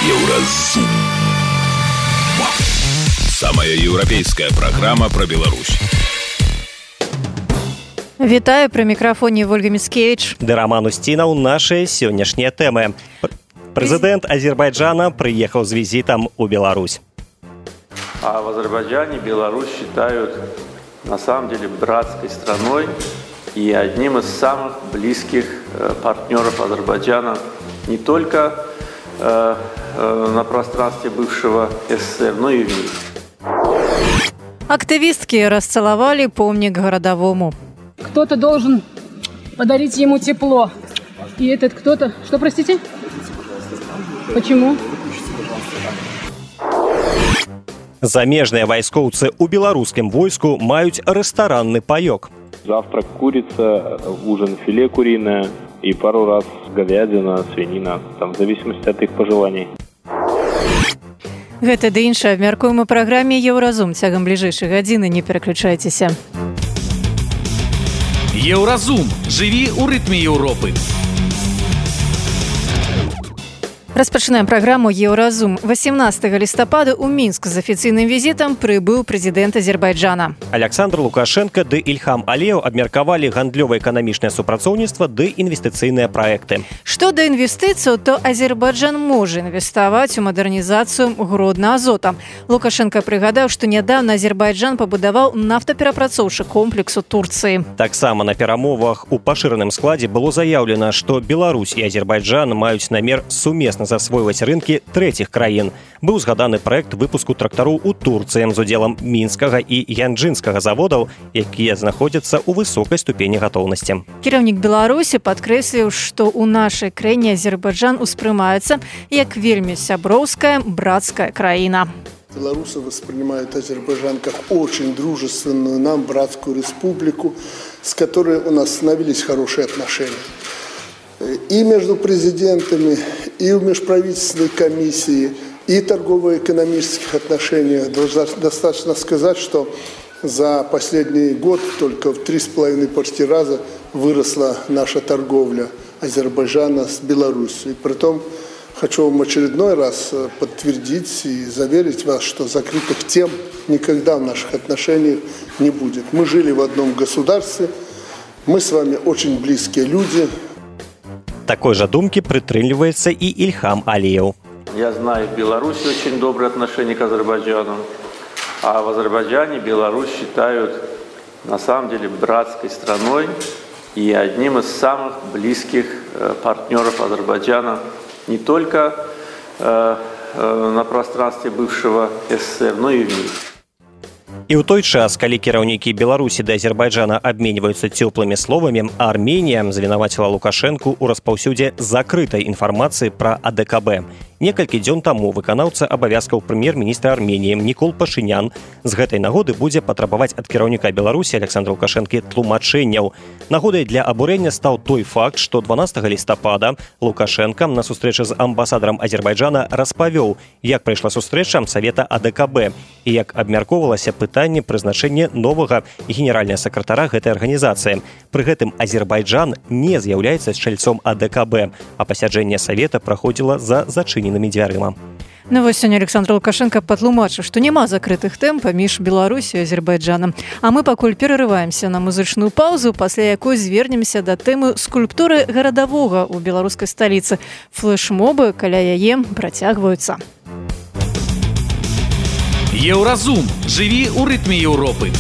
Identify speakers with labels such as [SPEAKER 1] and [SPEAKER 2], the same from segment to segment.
[SPEAKER 1] Еўразум. Самая еўрапейская праграма пра Беларусь.
[SPEAKER 2] Вітаю, пры мікрафоне Вольга Міцкевіч.
[SPEAKER 3] Ды Роман Устінаў, нашыя сённяшнія тэмы. Прэзідэнт Азербайджана приехал с визитом у Беларусь.
[SPEAKER 4] А в Азербайджане Беларусь считают на самом деле братской страной и одним из самых близких партнеров Азербайджана не только на пространстве бывшего СССР, но и в мире.
[SPEAKER 2] Активистки расцеловали помник городовому.
[SPEAKER 5] Кто-то должен подарить ему тепло. И этот кто-то... Что, простите? Почему?
[SPEAKER 3] Замежныя вайскоўцы ў беларускім войску маюць рэстаранны паёк.
[SPEAKER 6] Завтрак курица, ужин филе куриное и пару раз говядина, свинина, там в зависимости от их пожеланий.
[SPEAKER 2] Гэта ды іншае абмяркуем у праграме «Еўразум». Цягам бліжэйшай гадзіны не пераключайцеся.
[SPEAKER 1] Еўразум. Жыві ў рытме Еўропы.
[SPEAKER 2] Распачынаем праграму «Еўразум». 18 лістапада ў Мінск з афіцыйным візітам прыбыў прэзідэнт Азербайджана.
[SPEAKER 3] Александр Лукашенко ды Ільхам Аліеў абмеркавалі гандлёва-эканамічнае супрацоўніцтва ды інвестыцыйныя праекты.
[SPEAKER 2] Што да інвестыцыяў, то Азербайджан можа інвеставаць у мадэрнізацыю Гродна-Азота. Лукашенко прыгадаў, што нядаўна Азербайджан пабудаваў нафтаперапрацоўчы комплекс у Турцыі.
[SPEAKER 3] Таксама на перамовах у пашыраным складзе было заяўлена, што Беларусь і Азербайджан маюць намер сумесна засвойваць рынкі трэціх краін. Быў згаданы праект выпуску трактароў у Турцыі з удзелам мінскага і янджынскага заводаў, якія знаходзяцца ў высокай ступені гатоўнасці.
[SPEAKER 2] Кіраўнік Беларусі падкрэсліў, што ў нашай краіне Азербайджан успрымаецца як вельмі сяброўская, братская краіна.
[SPEAKER 7] Белорусы воспринимают Азербайджан как очень дружественную нам братскую республику, с которой у нас становились хорошие отношения. И между президентами, и в межправительственной комиссии, и торгово-экономических отношениях. Достаточно сказать, что за последний год только в 3,5 раза выросла наша торговля Азербайджана с Беларусью. И притом хочу вам очередной раз подтвердить и заверить вас, что закрытых тем никогда в наших отношениях не будет. Мы жили в одном государстве, мы с вами очень близкие люди.
[SPEAKER 3] Такой же думки прытрымліваецца і Ільхам Аліеў.
[SPEAKER 4] Я знаю, в Беларуси очень добрые отношения к Азербайджану, а в Азербайджане Беларусь считают на самом деле братской страной и одним из самых близких партнеров Азербайджана не только на пространстве бывшего СССР, но и в мире.
[SPEAKER 3] І ў той час, калі кіраўнікі Беларусі да Азербайджана абменьваюцца цёплымі словамі, Арменія звінаваціла Лукашэнку ў распаўсюдзе закрытай інфармацыі пра АДКБ. Некалькі дзён таму выканаўца абавязкаў прэм'ер-міністра Арменіі Нікол Пашынян з гэтай нагоды будзе патрабаваць ад кіраўніка Беларусі Александра Лукашэнкі тлумачэнняў. Нагодай для абурэння стаў той факт, што 12 лістапада Лукашенка на сустрэчы з амбасадарам Азербайджана распавёў, як прайшла сустрэча Савета АДКБ і як абмяркоўвалася пытанне прызначэння новага генеральнага сакратара гэтай арганізацыі. Пры гэтым Азербайджан не з'яўляецца чальцом АДКБ, а пасяджэнне Савета праходзіла за зачыненымі дзвярыма.
[SPEAKER 2] Ну вось сёння Александр Лукашенко патлумачыў, што няма закрытых тэм паміж Беларусю і Азербайджанам. А мы пакуль перарываемся на музычную паўзу, пасля якой звернемся да тэмы скульптуры гарадавога ў беларускай сталіцы. Флэшмобы каля яе працягваюцца.
[SPEAKER 1] Еўразум. Жыві ў рытме Еўропы.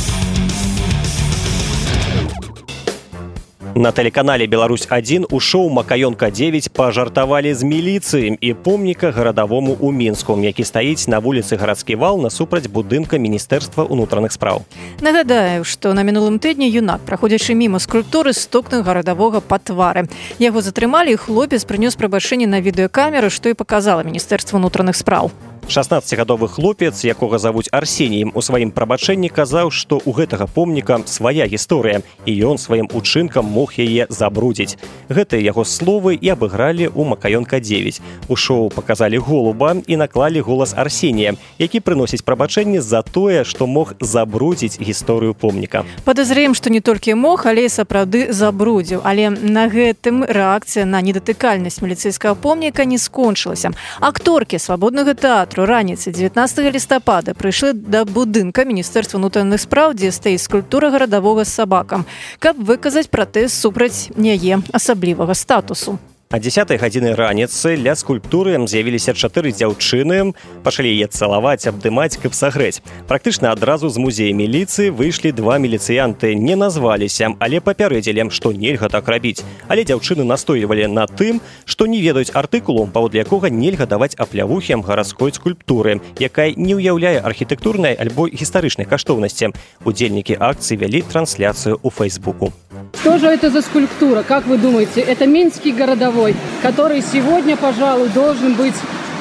[SPEAKER 3] На тэлеканале «Беларусь-1» у шоу «Макаёнка-9» пажартавалі з міліцыі і помніка гарадавому ў Мінску, які стаіць на вуліцы Гарадскі вал насупраць будынка Міністэрства ўнутраных спраў.
[SPEAKER 2] Нагадаю, што на мінулым тыдні юнак, праходзячы міма скульптуры, стукнуў гарадавога па твары. Яго затрымалі, і хлопец прынёс прабачэнне на відэакамеры, што і паказала Міністэрства ўнутраных спраў.
[SPEAKER 3] 16гадовы хлопец, якога завуць Арсеніем, у сваім прабачэнні казаў, што ў гэтага помніка свая гісторыя, і ён сваім учынкам мог яе забрудзіць. Гэтыя яго словы і абыгралі ў Макаёнка-9. У шоу паказалі голуба і наклалі голас Арсенія, які прыносіць прабачэнне за тое, што мог забрудзіць гісторыю помніка.
[SPEAKER 2] Падазрыем, што не толькі мог, але і сапраўды забрудзіў. Але на гэтым рэакцыя на недатыкальнасць міліцэйскага помніка не скончылася. Акторкі свабоднага тэатру раніцай 19 лістапада прыйшлі да будынка Міністэрства ўнутраных спраў, дзе стаіць скульптура гарадавога з сабакам, каб выказаць пратэст супраць яе асаблівага статусу.
[SPEAKER 3] А 10 гадзіны раніцы ля скульптуры з'явіліся 4 дзяўчыны, пачалі яе цалаваць, абдымаць, каб сагрэць. Практычна адразу з музея міліцыі выйшлі 2 міліцыянты, не назваліся, але папярэдзілі, што нельга так рабіць. Але дзяўчыны настойвалі на тым, што не ведаюць артыкулу, паводле якога нельга даваць аплявухі гарадской скульптуры, якая не ўяўляе архітэктурнай альбо гістарычнай каштоўнасці. Удзельнікі акцыі вялі трансляцыю ў Фейсбуку.
[SPEAKER 5] Что же это за скульптура? Как вы думаете? Это Минский городовой, который сегодня, пожалуй, должен быть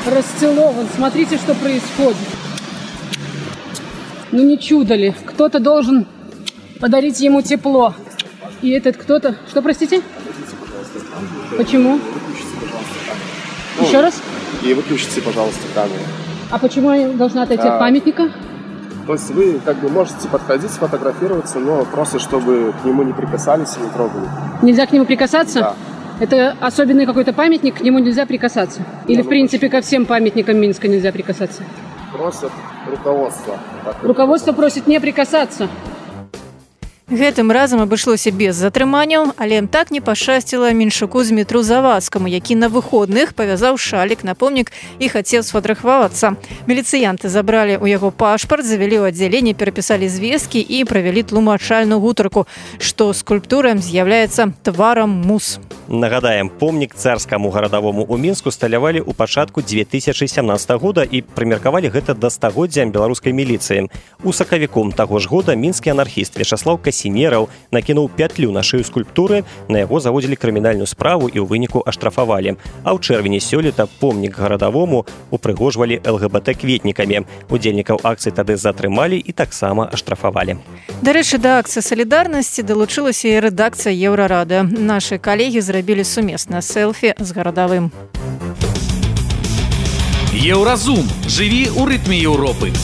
[SPEAKER 5] расцелован. Смотрите, что происходит. Ну не чудо ли? Кто-то должен подарить ему тепло. И этот кто-то... Что, простите? Почему? Еще раз?
[SPEAKER 8] И выключите, пожалуйста, камеру.
[SPEAKER 5] А почему я должна отойти от памятника?
[SPEAKER 8] То есть вы как бы можете подходить, сфотографироваться, но просто чтобы к нему не прикасались и не трогали.
[SPEAKER 5] Нельзя к нему прикасаться?
[SPEAKER 8] Да.
[SPEAKER 5] Это особенный какой-то памятник, к нему нельзя прикасаться? Или, в принципе, ко всем памятникам Минска нельзя прикасаться?
[SPEAKER 8] Просят руководство.
[SPEAKER 5] Руководство просит не прикасаться.
[SPEAKER 2] Гэтым разам абышлося без затрыманняў, але так не пашчасціла меншуку Змітру Завадскаму, які на выходных павязаў шалік на помнік і хацеў сфотаграфавацца. Міліцыянты забралі ў яго пашпарт, завялі ў аддзяленне, перапісалі звесткі і правялі тлумачальную гутарку, што скульптура з'яўляецца тварам мус.
[SPEAKER 3] Нагадаем, помнік царскаму гарадавому ў Мінску сталявалі ў пачатку 2017 года і прымеркавалі гэта да стагоддзя беларускай міліцыі. У сакавіку таго ж года мінскі анархіст Вячаслаў Касінераў накінуў пятлю на шыю скульптуры, на яго заводзілі крымінальную справу і ў выніку аштрафавалі. А ў чэрвені сёлета помнік гарадавому упрыгожвалі ЛГБТ-кветнікамі. Удзельнікаў акцыі тады затрымалі і таксама аштрафавалі.
[SPEAKER 2] Дарэчы, да акцыі салідарнасці далучылася і рэдакцыя Еўрарада. Нашы калегі зрабілі сумеснае селфі з гарадавым.
[SPEAKER 1] Еўразум. Жыві ў рытме Еўропы.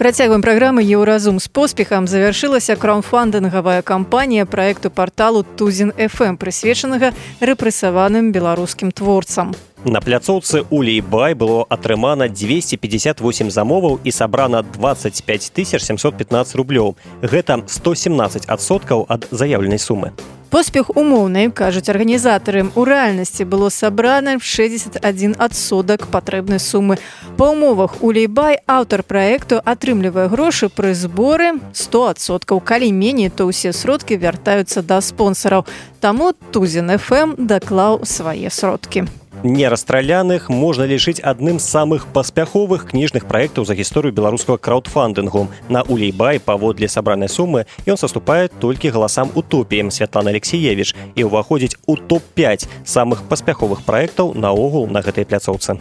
[SPEAKER 2] Працягваем праграмы «Еўразум» з поспехам. Завяршылася краўдфандынгавая кампанія праекту парталу Тузін-ФМ, прысвечанага рэпрэсаваным беларускім творцам.
[SPEAKER 3] На пляцоўцы Улей-Бай было атрымана 258 замоваў і сабрана 25 715 рублёў. Гэта 117% ад заяўленай сумы.
[SPEAKER 2] Поспех умоўны, кажуць арганізатары. У рэальнасці было сабрана 61% патрэбнай сумы. Па умовах Улей-Бай аўтар праекту атрымлівае грошы пры зборы 100%. Калі меней, то ўсе сродкі вяртаюцца да спонсараў. Таму Тузін-ФМ даклаў свае сродкі.
[SPEAKER 3] Нерастраляных можна лічыць адным з самых паспяховых кніжных праектаў за гісторыю беларускага краўдфандынгу. На Улей-Бай паводле сабранай сумы ён саступае толькі галасам утопіі Святланы Алексіевіч і ўваходзіць у топ-5 самых паспяховых праектаў наогул на гэтай пляцоўцы.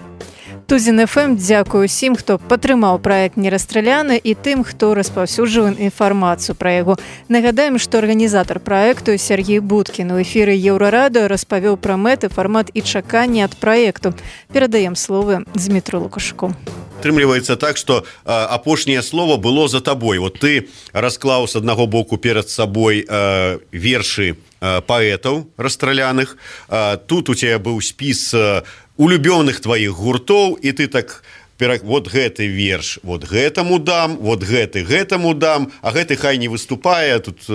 [SPEAKER 2] Тузін-ФМ дзякуе усім, хто падтрымаў праект «Нерастраляны» і тым, хто распаўсюджвае інфармацыю пра яго. Нагадаем, што арганізатар праекту Сергей Будкін у эфіры Еўрарада распавёў пра мэты, фармат і чаканні ад праекту. Перадаем словы Змітру Лукашуку.
[SPEAKER 9] Атрымліваецца так, што апошняе слово было за табой. Вот ты расклаў з аднаго боку перад сабой вершы паэтаў расстраляных. Тут у цябе быў спіс улюбёных тваіх гуртоў, і ты так вот гэты верш вот гэтаму дам, вот гэты гэтаму дам, а гэты хай не выступае. Тут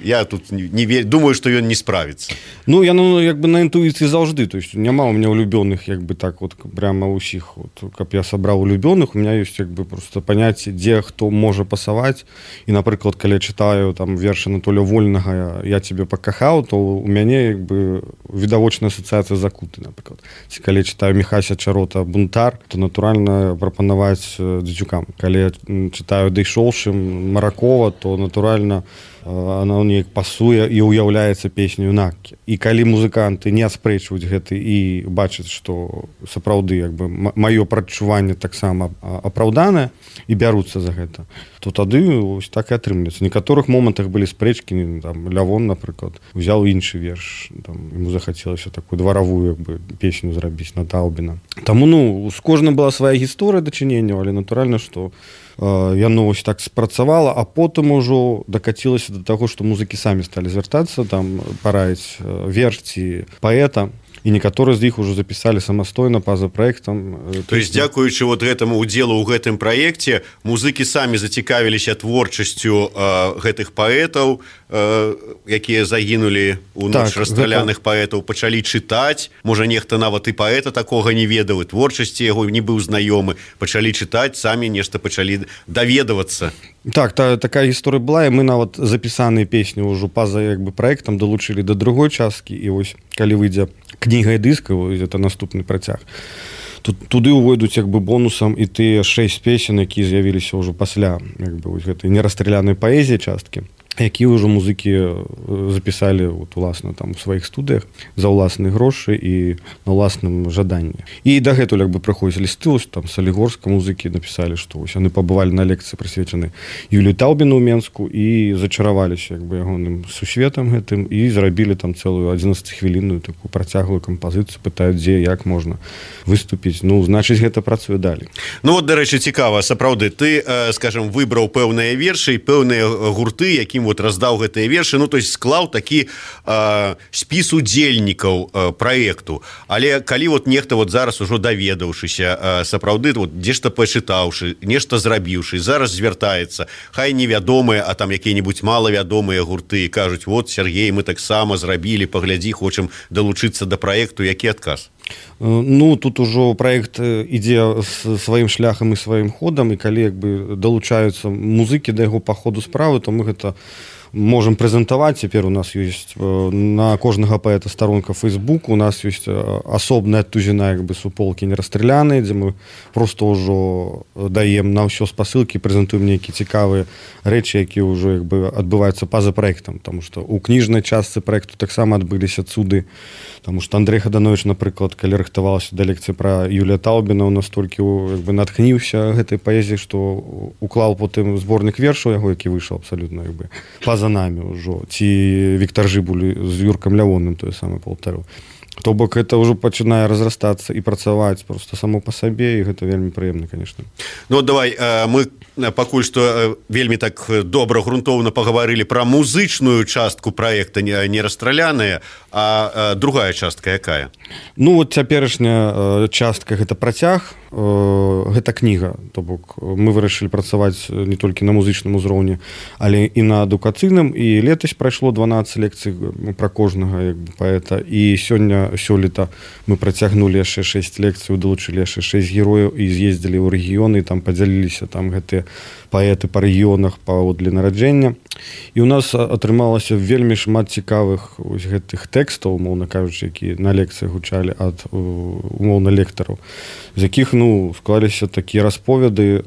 [SPEAKER 9] я тут не думаю, што ён не справіцца.
[SPEAKER 10] Ну я як бы на інтуіцыі заўжды, то есть няма у меня улюбёных як бы так вот прямо ўсіх, вот, каб я сабраў улюбёных, у меня ёсць як бы просто паняцце, дзе хто можа пасаваць. І напрыклад, калі чытаю там вершы Анатолія Вольнага «Я цябе пакахаў», то у мяне як бы відавочная асацыяцыя закуты, напрыклад. Ці калі чытаю Міхася Чарота «Бунтар», то натуральна прапанаваць дзецюкам. Калі я чытаю Дэйшоўшым Маракова, то натуральна она неяк пасуе і ўяўляецца песню інаккі. І калі музыканты не аспрэчваюць гэты і бачаць, што сапраўды як бы маё прадчуванне таксама апраўданае і бяруцца за гэта, то тады ось так і атрымліваецца. В некаторых момантах былі спрэчкі, там Лявон, напрыклад, узяў іншы верш, там ему захацелася такую дваравую як бы песню зрабіць на Таўбіна. Таму з кожным была свая гісторыя дачыненняў, але натуральна, што яно ось так спрацавала, а потым ужо дакацілася да таго, што музыкі самі сталі звяртацца, там параіць верш ці паэта, і некаторыя з іх ужо запісалі самастойна па-за праектам.
[SPEAKER 9] То есть дзякуючы вот гэтаму удзелу ў гэтым праекце музыкі самі зацікавіліся творчасцю гэтых паэтаў, якія загінулі ў ноч расстраляных паэтаў, пачалі чытаць, можа нехта нават і паэта такога не ведаў, і творчасці яго не быў знаёмы, пачалі чытаць, самі нешта пачалі даведавацца.
[SPEAKER 10] Так, такая гісторыя была, і мы нават запісаныя песні ўжо па-за як бы праектам далучылі да другой часткі, і вось калі выйдзе кніга і дыск, это наступны працяг, туды ўвойдуць як бы бонусам і тыя 6 песен, якія з'явіліся ўжо пасля як бы вось гэтай нерастралянай паэзіі часткі, якія ўжо музыкі запісалі уласна там у сваіх студыях за ўласныя грошы і на ўласным жаданні. І дагэтуль як бы прыходзяць лісты, там Салігорска музыкі напісалі, што вось яны пабывалі на лекцыі прысвечанай Юліі Таўбіну ў Менску і зачараваліся як бы ягоным сусветам гэтым і зрабілі там цэлую 11-хвілінную такую працяглую кампазіцыю, пытаюць, дзе, як можна выступіць. Значыць, гэта працуе далей.
[SPEAKER 9] Вот, дарэчы, цікава, сапраўды, ты, скажем, выбраў пэўныя вершы і пэўныя гурты, якім вот раздаў гэтыя вершы, то есть склаў такі спіс удзельнікаў праекту. Але калі вот нехта вот зараз ужо даведаўшыся сапраўды, вот дзе-што пачытаўшы, нешта зрабіўшы, зараз звяртаецца, хай невядомыя, а там якія-небудзь малавядомыя гурты, кажуць, вот, Сергей, мы таксама зрабілі, паглядзі, хочам далучыцца да праекту, які адказ?
[SPEAKER 10] Тут ужо праект ідзе сваім шляхам і сваім ходам, і калі як бы далучаюцца музыкі да яго па ходу справы, то мы гэта можем прэзентаваць. Цяпер у нас ёсць на кожнага паэта старонка Facebook, у нас ёсць асобная тузіна як бы суполкі нерастраляныя, дзе мы просто ўжо даем на ўсё спасылкі, прэзентуем нейкія цікавыя рэчы, якія ўжо як бы адбываюцца па-за праектам, таму што ў кніжнай частцы праекту таксама адбыліся цуды, таму што Андрэй Хаданович, напрыклад, калі рыхтавалася да лекцыі пра Юлія Таўбіна, у нас толькі як бы натхніўся гэтай паэзіяй, што уклаў потым зборнік вершаў яго, які выйшаў абсалютна як бы па-за намі ўжо, ці Віктар Жыбуль з Юркам Лявонным тое самае паўтарыў. То бок гэта ўжо пачынае разрастацца і працаваць просто само па сабе, і гэта вельмі прыемна, конечно.
[SPEAKER 9] Давай, мы пакуль што вельмі так добра, грунтоўна пагаварылі пра музычную частку праекта нерастраляныя, а другая частка якая?
[SPEAKER 10] Вот цяперашняя частка гэта працяг, гэта кніга, то бок мы вырашылі працаваць не толькі на музычным узроўні, але і на адукацыйным, і летась прайшло 12 лекцый пра кожнага як бы паэта, і сёлета мы працягнулі яшчэ 6 лекцый, далучылі яшчэ 6 герояў і з'ездзілі ў рэгіёны, там падзяліліся там гэтыя паэты па рэгіёнах паводле нараджэння. І ў нас атрымалася вельмі шмат цікавых гэтых тэкстаў, умоўна кажучы, якія на лекцыях гучалі ад умоўна лектараў, з якіх склаліся такія расповеды,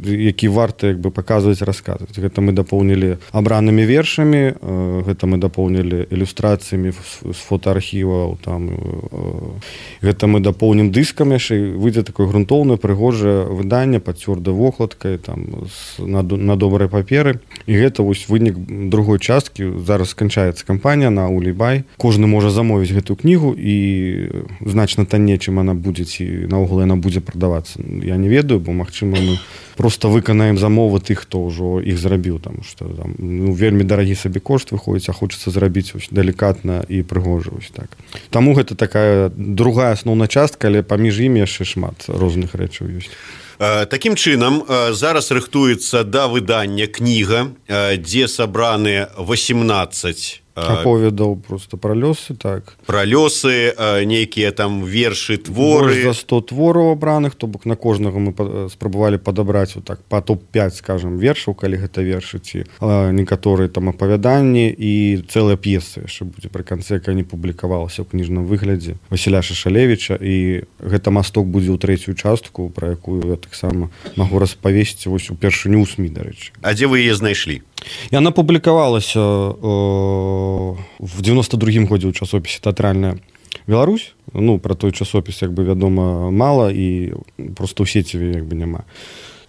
[SPEAKER 10] які варта як бы паказваць, расказваць. Гэта мы дапоўнілі абранымі вершамі, гэта мы дапоўнілі ілюстрацыямі з фотоархіваў, там гэта мы дапоўнім дыскам яшчэ, выйдзе такое грунтоўнае прыгожае выданне пад цвёрдай вокладкай, там на добрай паперы. І гэта вось вынік другой часткі. Зараз сканчаецца кампанія на Улейбай. Кожны можа замовіць гэтую кнігу, і значна танней, чым яна будзе, ці наогул яна будзе прадавацца. Я не ведаю, бо магчыма мы просто выканаем замовы тых, хто ўжо іх зрабіў, таму што там вельмі дарагі сабе кошт выходзіць, а хочацца зрабіць далікатна і прыгожа. Так. Таму гэта такая другая асноўная частка, але паміж імі яшчэ шмат розных рэчаў ёсць.
[SPEAKER 9] Такім чынам, зараз рыхтуецца да выдання кніга, дзе сабраны 18
[SPEAKER 10] аповедаў просто пра лёсы, так.
[SPEAKER 9] Пра лёсы, нейкія там вершы, творы.
[SPEAKER 10] Больш за 100 твораў абраных, то бок на кожнага мы спрабавалі падабраць вот так па топ-5, скажем, вершаў, калі гэта вершы, ці некаторыя там апавяданні, і цэлая п'еса яшчэ будзе пры канцы, якая не публікавалася ў кніжным выглядзе Васіля Шашалевіча, і гэта масток будзе ў трэцюю частку, пра якую я таксама магу распавесці вось упершыню ў СМІ, дарэчы.
[SPEAKER 9] А дзе вы яе знайшлі?
[SPEAKER 10] Яна публікавалася в 92-м годзе ў часопісе «Тэатральная Беларусь». Ну, пра той часопіс, як бы, вядома, мала, і проста ў сеціве, як бы, няма.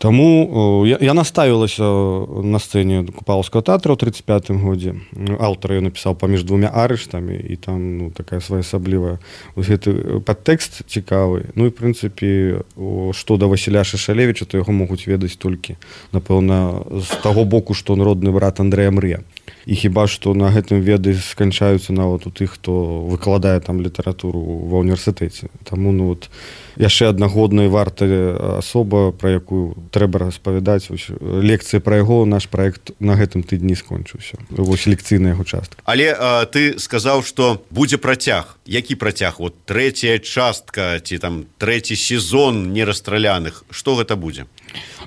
[SPEAKER 10] Таму яна ставілася на сцэне Купалаўскага тэатра ў 35-м годзе. Аўтар ён напісаў паміж двумя арыштамі, і там, ну, такая своеасаблівая гэты падтэкст цікавы. Ну і, в прынцыпе, што да Васіля Шашалевіча, то яго могуць ведаць толькі, напэўна, з таго боку, што он родны брат Андрэя Мрыя. І хіба што на гэтым веды сканчаюцца нават у тых, хто выкладае там літаратуру ва ўніверсітэце. Таму, ну, от, яшчэ адна годная і вартая асоба, пра якую трэба распавядаць. Лекцыя пра яго, наш праект на гэтым тыдні скончыўся. Вось лекцыйная яго частка.
[SPEAKER 9] Але ты сказаў, што будзе працяг. Які працяг? Вот трэцяя частка ці там трэці сезон нерастраляных. Што гэта будзе?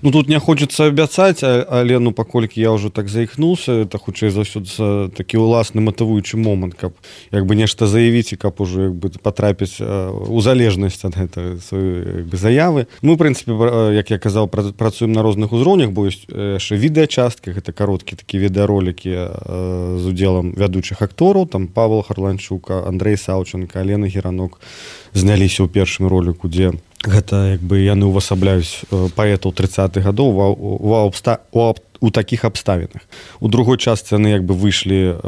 [SPEAKER 10] Ну, тут не хочется абяцаць, але, ну, паколькі я ўжо так заіхнуўся, это хутчэй за ўсё такі ўласны матывуючы момант, каб як бы нешта заявіць і каб ужо як бы патрапіць у залежнасць ад гэтага сваёй, як бы, заявы. Мы, в прынцыпе, як я казаў, працуем на розных узроўнях, бо ёсць яшчэ відэачасткі, гэта кароткі такі відэаролікі з удзелам вядучых актораў, там Павел Харланчук, Андрей Саўченко, Алена Геранок зняліся ў першым роліку, дзе гэта, як бы, яны увасабляюць паэтаў 30-х гадоў у такіх абставінах. У другой частцы яны, як бы, выйшлі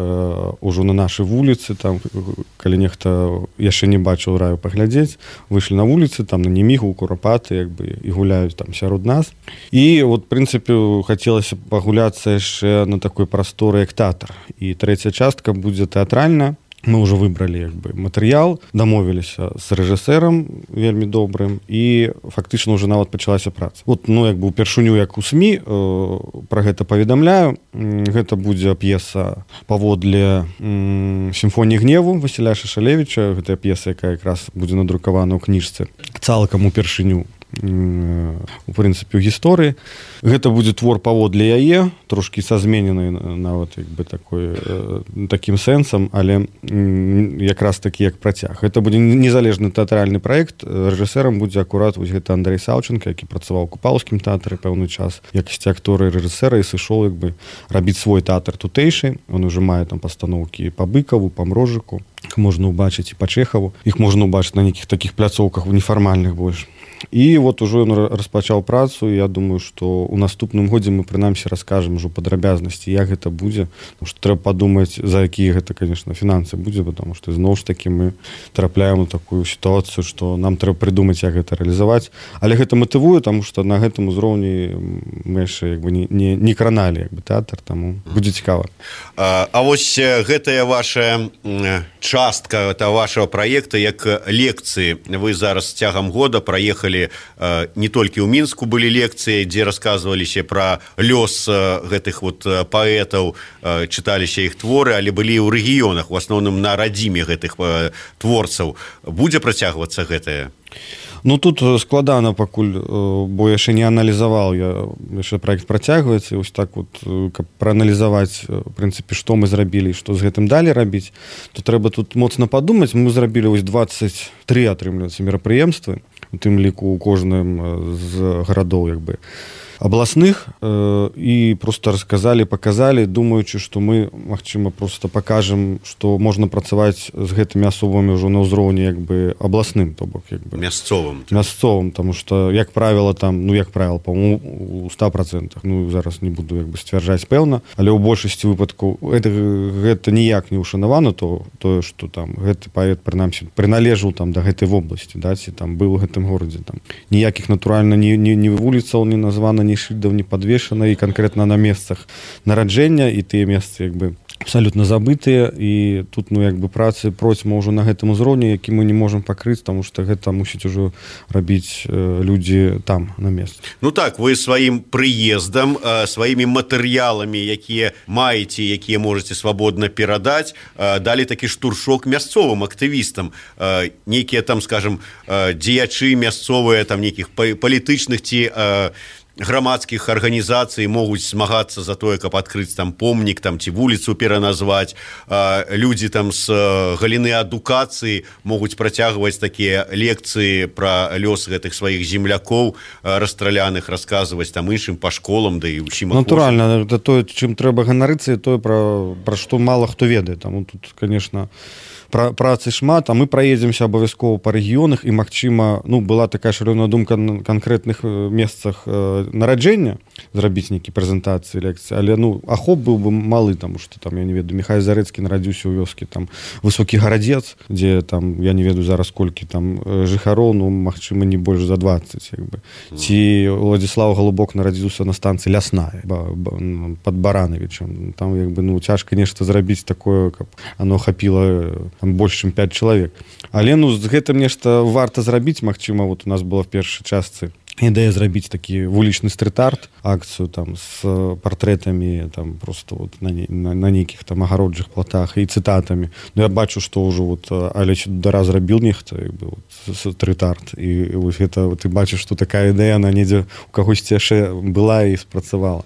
[SPEAKER 10] ўжо на нашы вуліцы, там, калі нехта яшчэ не бачыў, раю паглядзець, выйшлі на вуліцы, там, на Немігу, у Курапаты, як бы, і гуляюць там сярод нас. І, от, в прынцыпе, хацелася пагуляцца яшчэ на такой прасторы, як тэатр. І трэцяя частка будзе тэатральная. Мы ўжо выбралі, як бы, матэрыял, дамовіліся з рэжысэрам вельмі добрым, і фактычна ўжо нават пачалася праца. Вот, ну, як бы, упершыню, як у СМІ пра гэта паведамляю, гэта будзе п'еса паводле «Сімфоніі гневу» Васіля Шашалевіча. Гэта п'еса, якая якраз будзе надрукавана ў кніжцы цалкам упершыню, у прынцыпе, ў гісторыі. Гэта будзе твор паводле яе, трошкі са змененай нават, як бы, такім сэнсам, але якраз такі як працяг. Гэта будзе незалежны тэатральны праект. Рэжысэрам будзе акурат вось гэта Андрей Саўченко, які працаваў у Купалаўскім тэатры пэўны час в якасці актора і рэжысэра, і сышоў, як бы, рабіць свой тэатр тутэйшы. Он уже мае там пастаноўкі па Быкаву, па Мрожыку, іх можна ўбачыць, і па Чэхаву, іх можна ўбачыць на нейкіх такіх пляцоўках нефармальных больш. І вот ужо ён распачаў працу, і я думаю, што у наступным годзе мы прынамсі раскажам ужо падрабязнасці, як гэта будзе, тому што трэба падумаць, за якія гэта, конечно, фінансы будзе, потому што зноў ж такі мы трапляем у такую сітуацыю, што нам трэба прыдумаць, як гэта рэалізаваць. Але гэта матывуе, таму што на гэтым узроўні мы яшчэ, як бы, не краналі, як бы, тэатр, таму будзе цікава.
[SPEAKER 9] А вось гэтая ваша частка вашего праекта, як лекцыі, вы зараз цягам года праехалі не толькі ў Мінску былі лекцыі, дзе расказваліся пра лёс гэтых вот паэтаў, чыталіся іх творы, але былі ў рэгіёнах, у асноўным на радзіме гэтых творцаў. Будзе працягвацца гэтае?
[SPEAKER 10] Ну, тут складана пакуль, бо яшчэ не аналізаваў, яшчэ праект працягваецца, і вось так вот, каб прааналізаваць, в прынцыпе, што мы зрабілі і што з гэтым далі рабіць, то трэба тут моцна падумаць. Мы зрабілі вось 23, атрымліваецца, мерапрыемствы, у тым ліку у кожным з гарадоў, як бы, абласных, і просто расказалі, паказалі, думаючы, што мы, магчыма, просто пакажам, што можна працаваць з гэтымі асобамі ўжо на ўзроўні, як бы, абласным, то бок, як бы, мясцовым, таму што, як правіла, там, ну, як правіла, па-моему, у 100%, ну, зараз не буду, як бы, сцвярджаць пэўна, але ў большасці выпадкаў гэта ніяк не ушанавана, тое, што там гэты паэт, прынамсі, прыналежаў там да гэтай вобласці, да, ці там быў у гэтым горадзе, там ніякіх, натуральна, ні вуліцаў не названа, ні шыльдаў не падвешана, і канкрэтна на месцах нараджэння, і тыя месцы, як бы, абсалютна забытыя, і тут, ну, як бы, працы процьма ўжо на гэтым узроўні, які мы не можам пакрыць, таму што гэта мусіць ужо рабіць людзі там, на месцы.
[SPEAKER 9] Ну так, вы сваім прыездам, сваімі матэрыяламі, якія маеце, якія можаце свабодна перадаць, далі такі штуршок мясцовым актывістам. Нейкія там, скажем, дзеячы мясцовыя, там, нейкіх палітычных ці грамадскіх арганізацый могуць змагацца за тое, каб адкрыць там помнік там ці вуліцу пераназваць. Людзі там з галіны адукацыі могуць працягваць такія лекцыі пра лёс гэтых сваіх землякоў расстраляных, расказваць там іншым па школам, да і ўсім.
[SPEAKER 10] Натуральна, это тое, чым трэба ганарыцца, і тое, пра што мала хто ведае. Таму тут, конечно, працы шмат, а мы праедземся абавязкова па рэгіёнах, і, магчыма, была такая шалёная думка на канкрэтных месцах нараджэння зрабіць нейкі прэзентацыі, лекцыі, але ахоп быў бы малы, таму што там, я не ведаю, Міхай Зарэцкі нарадзіўся ў вёскі там Высокі Гарадзец, дзе там, я не ведаю зараз колькі там жыхароў, магчыма, не больш за 20, як бы. Ці Владзіслаў Галубок нарадзіўся на станцыі Лясная пад Баранавічам. Там, як бы, цяжка нешта зрабіць такое, каб оно хапіла больш чым 5 чалавек. Але з гэтым нешта варта зрабіць. Магчыма, у нас была в першай частцы ідэя зрабіць такі вулічны стрит-арт, акцыю там з партрэтамі там просто на нейкіх там агароджых платах і цытатамі. Я бачу, што ўжо Алеч Дара зрабіў нехта стрит-арт, і гэта ты бачыш, што такая ідэя на недзе у кагосьці яшчэ была і спрацавала.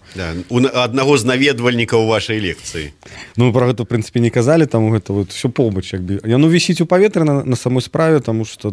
[SPEAKER 9] У аднаго з наведвальнікаў вашай лекцыі.
[SPEAKER 10] Пра гэта, в прынцыпе, не казалі, таму гэта ўсё побач, як бы. Яно вісіць у паветры на самой справе, таму што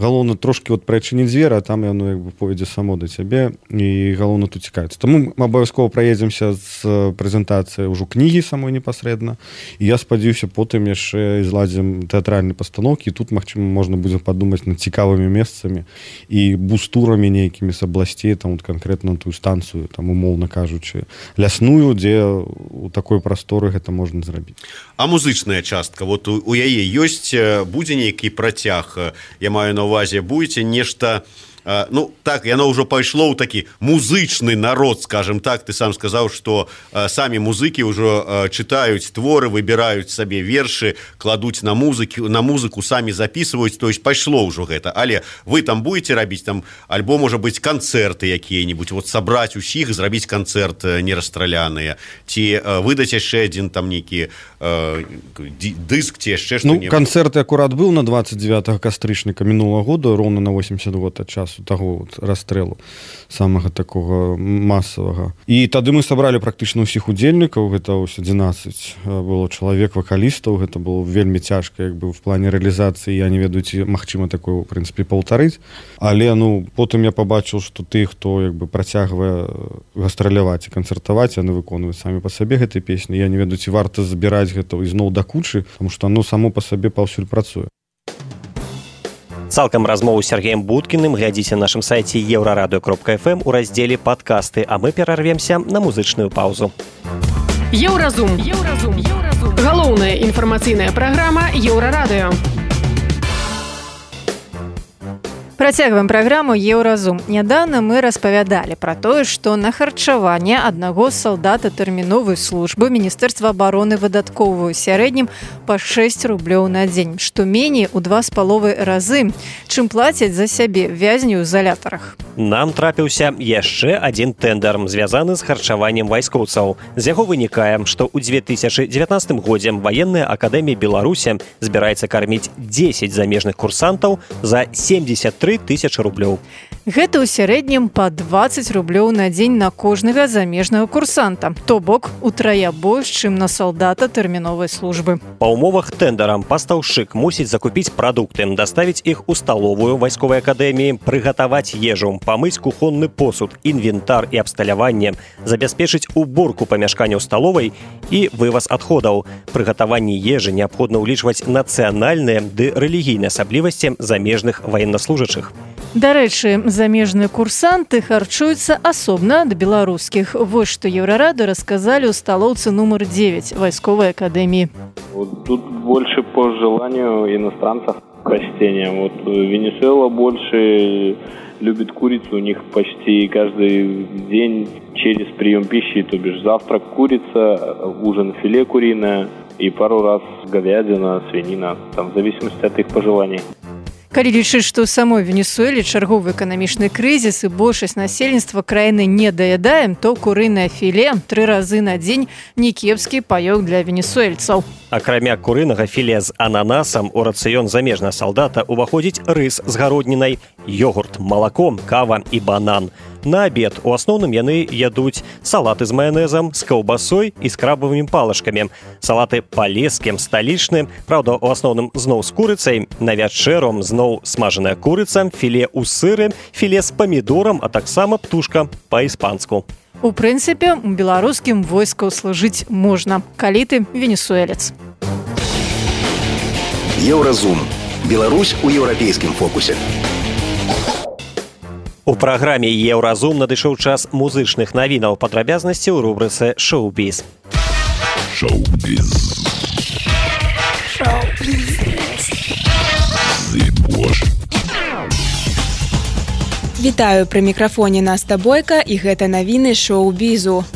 [SPEAKER 10] галоўна трошкі прыадчыніць дзверы, а там яно як бы пойдзе само да цябе, і галоўна тут цікавіцца. Таму мы абавязкова праедземся з прэзентацыяй ўжо кнігі самой непасрэдна, і я спадзяюся, потым яшчэ зладзім тэатральныя пастаноўкі, і тут, магчыма, можна будзе падумаць над цікавымі месцамі і бустурамі нейкімі з абласцей, там канкрэтна тую станцыю, там умоўна кажучы, лясную, дзе у такой прасторы гэта можна зрабіць.
[SPEAKER 9] А музычная частка, у яе ёсць, будзе нейкі працяг, я маю на ўвазе, будзе нешта. Так, яно ўжо пайшло ў такі музычны народ, скажем так. Ты сам сказаў, што самі музыкі ўжо чытаюць творы, выбіраюць сабе вершы, кладуць на музыку, самі записываюць, то есть пайшло ўжо гэта. Але вы там будете рабіць там, альбо, можа быць, канцэрты якія-нибудь, сабраць усіх, зрабіць канцэрт нерастраляныя, ці выдаць яшчэ адзін там нейкі дыск, ці яшчэ што-небудзь?
[SPEAKER 10] Канцэрт акурат быў на 29 кастрычніка мінулага года, роўна на 80 год ад часу таго расстрэлу самага такога масавага. І тады мы сабралі практычна ўсіх удзельнікаў, гэта 11 было чалавек, вакалістаў, гэта было вельмі цяжка, як бы, в плане рэалізацыі, я не ведаю, ці магчыма такое, в прынцыпе, паўтарыць, але, потым я пабачыў, што ты, хто, як бы, працягвае гастраляваць і канцэртаваць, яны выконваюць самі па сабе гэтай песні, я не ведаю, ці варта збіраць гэта ізноў да кучы, таму што оно само па сабе паўсюль працуе.
[SPEAKER 3] Цалкам размову з Сергеем Будкіным глядзіце на нашым сайце еўрарадыё.фм у раздзеле «Падкасты», а мы перарвемся на музычную паўзу.
[SPEAKER 5] Еўразум. Галоўная інфармацыйная праграма Еўрарадыё.
[SPEAKER 2] Працягваем праграму «Еўразум». Нядаўна мы распавядалі пра тое, што на харчаванне аднаго салдата тэрміновай службы Міністэрства абароны выдаткоўваюць сярэднім па 6 рублёў на дзень, што меней у 2,5 разы, чым плацяць за сябе вязні ў изалятарах.
[SPEAKER 3] Нам трапіўся яшчэ адзін тэндэр, звязаны з харчаваннем вайскоўцаў. З яго вынікае, што ў 2019 годзе Ваенная акадэмія Беларусі збіраецца карміць 10 замежных курсантаў за 73 тысячы рублёў.
[SPEAKER 2] Гэта ў сярэднім па 20 рублёў на дзень на кожнага замежнага курсанта, то бок утрая больш, чым на салдата тэрміновай службы.
[SPEAKER 3] Па умовах тэндара пастаўшчык мусіць закупіць прадукты, даставіць іх у сталовую вайсковай акадэміі, прыгатаваць ежу, памыць кухонны посуд, інвентар і абсталяванне, забяспечыць уборку памяшканняў сталовай і вываз адходаў. Прыгатаванні ежы неабходна ўлічваць нацыянальныя ды рэлігійныя асаблівасці замежных ваеннаслужачых.
[SPEAKER 2] Дарэчы, замежныя курсанты харчуюцца асобна ад беларускіх. Вось што Еўрарадыё расказалі ў сталоўцы нумар 9 вайсковай акадэміі.
[SPEAKER 6] Тут больше по желанию иностранцев растения. Венесуэла больше любит курицу, у них почти каждый день через прием пищи, то бишь завтрак курица, ужин филе куриное и пару раз говядина, свинина, там в зависимости от их пожеланий.
[SPEAKER 2] Калі лічыць, што ў самой Венесуэле чарговы эканамічны крызіс і большасць насельніцтва краіны не даядаем, то курынае філе 3 разы на дзень некепскі паёк для венесуэльцаў.
[SPEAKER 3] Акрамя курынага філе з ананасам у рацыён замежнага салдата ўваходзіць рыс з гароднінай, йогурт, малако, кава і банан. На абед у асноўным яны ядуць салаты з маянэзам, з каўбасой і з крабавымі палачкамі. Салаты палескім, сталічным, праўда, у асноўным зноў з курыцай, на вячэру зноў смажаная курыца, філе ў сыры, філе з памідорам, а таксама птушка па-іспанску.
[SPEAKER 2] У прынцыпе, у беларускім войску служыць можна, калі ты венесуэлец.
[SPEAKER 11] Еўразум. Беларусь у еўрапейскім фокусе.
[SPEAKER 3] У праграме «Еўразум» надышоў час музычных навінаў, падрабязнасці ў рубрыцы «Шоу-біз».
[SPEAKER 11] Шоу-біз.
[SPEAKER 12] Вітаю, пры мікрафоне Наста Бойка, і гэта навіны шоу-бізу.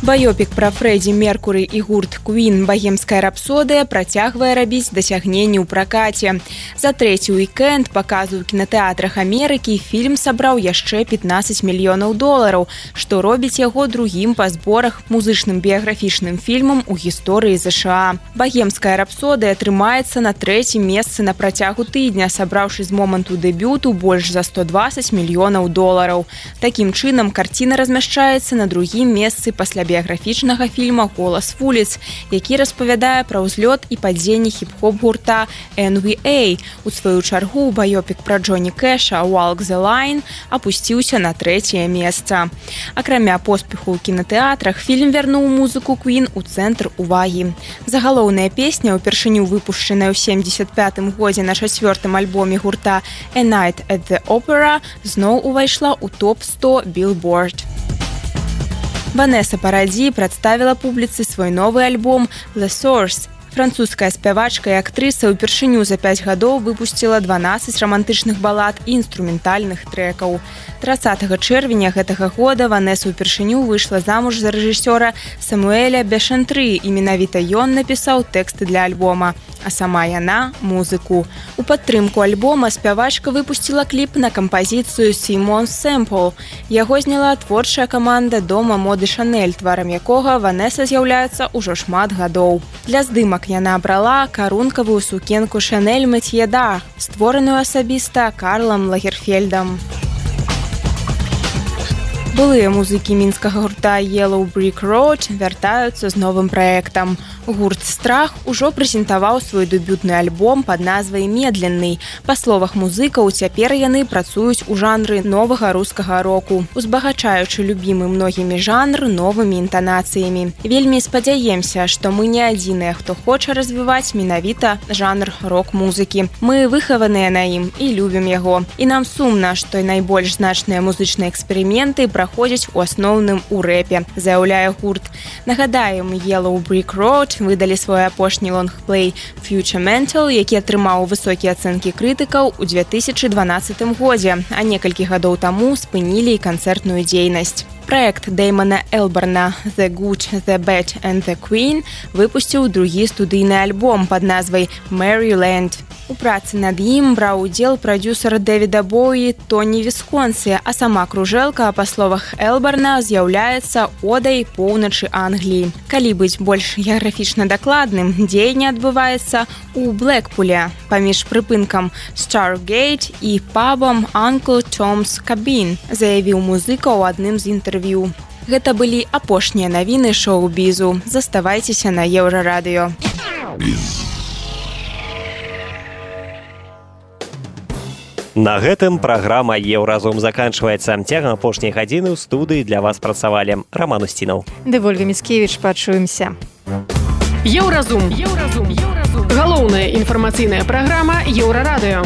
[SPEAKER 12] Баёпік пра Фрэдзі Меркуры і гурт Queen «Багемская рапсодыя» працягвае рабіць дасягненні ў пракаце. За трэці уікенд паказу ў кінатэатрах Амерыкі фільм сабраў яшчэ $15 мільёнаў, што робіць яго другім па зборах музычным біяграфічным фільмам у гісторыі ЗША. «Багемская рапсодыя» трымаецца на трэцім месцы на працягу тыдня, сабраўшы з моманту дэбюту больш за $120 мільёнаў. Такім чынам, карціна размяшчаецца на другім месцы пасля біяграфічнага фільма «Голас вуліц», які распавядае пра ўзлёт і падзенне хіп-хоп гурта NWA. У сваю чаргу баёпік пра Джоні Кэша «Walk the Line» апусціўся на трэцяе месца. Акрамя поспеху ў кінатэатрах, фільм вярнуў музыку Queen у цэнтр увагі. Загалоўная песня, упершыню выпушчаная ў 75-м годзе на 4-м альбоме гурта «A Night at the Opera», зноў увайшла ў топ-100 Billboard. Ванеса Параді прадставіла публіцы свой новы альбом «The Source». Французская спявачка і актрыса ўпершыню за 5 гадоў выпусціла 12 рамантычных балад і інструментальных трэкаў. 30 чэрвеня гэтага года Ванеса ўпершыню выйшла замуж за рэжысёра Самуэля Бешантры, і менавіта ён напісаў тэксты для альбома, а сама яна – музыку. У падтрымку альбома спявачка выпусціла кліп на кампазіцыю «Simon Sample». Яго зняла творчая каманда дома моды «Шанель», тварам якога Ванеса з'яўляецца ўжо шмат гадоў. Для здымак яна абрала карункавую сукенку «Шанель Метье д'Ар», створаную асабіста Карлам Лагерфельдам. Былыя музыкі мінскага гурта Yellow Brick Road вяртаюцца з новым праектам. Гурт «Страх» ужо прэзентаваў свой дэбютны альбом пад назвай «Медленны». Па словах музыкаў, цяпер яны працуюць у жанры новага рускага року, узбагачаючы любімы многімі жанр новымі інтанацыямі. Вельмі спадзяемся, што мы не адзіныя, хто хоча развіваць менавіта жанр рок-музыкі. Мы выхаваныя на ім і любім яго. І нам сумна, што найбольш значныя музычныя эксперыменты праходзяць у асноўным у рэпе, заяўляе гурт. Нагадаем, Yellow Brick Road выдалі свой апошні лонгплей «Future Mental», які атрымаў высокія ацэнкі крытыкаў у 2012 годзе, а некалькі гадоў таму спынілі і канцэртную дзейнасць. Праект Дэймана Элбарна «The Good, The Bad and The Queen» выпусціў другі студыйны альбом пад назвай «Maryland». У працы над ім браў удзел прадзюсар Дэвіда Боуі Тоні Вісконсі, а сама кружэлка, па словах Элбарна, з'яўляецца одай поўначы Англіі. Калі быць больш геаграфічна дакладным, дзеянне адбываецца ў Блэкпуле, паміж прыпынкам Stargate і пабам Uncle Tom's Cabin, заявіў музыка ў адным з інтэрв'ю. Гэта былі апошнія навіны шоу-бізу. Заставайцеся на Еўрарадыё.
[SPEAKER 3] На гэтым праграма «Еўразум» заканчваецца. Цягам апошняй гадзіны ў студыі для вас працавалі Раман Устінаў.
[SPEAKER 2] Ды Вольга Міцкевіч, пачуемся.
[SPEAKER 5] Еўразум. Галоўная інфармацыйная праграма Еўрарадыё.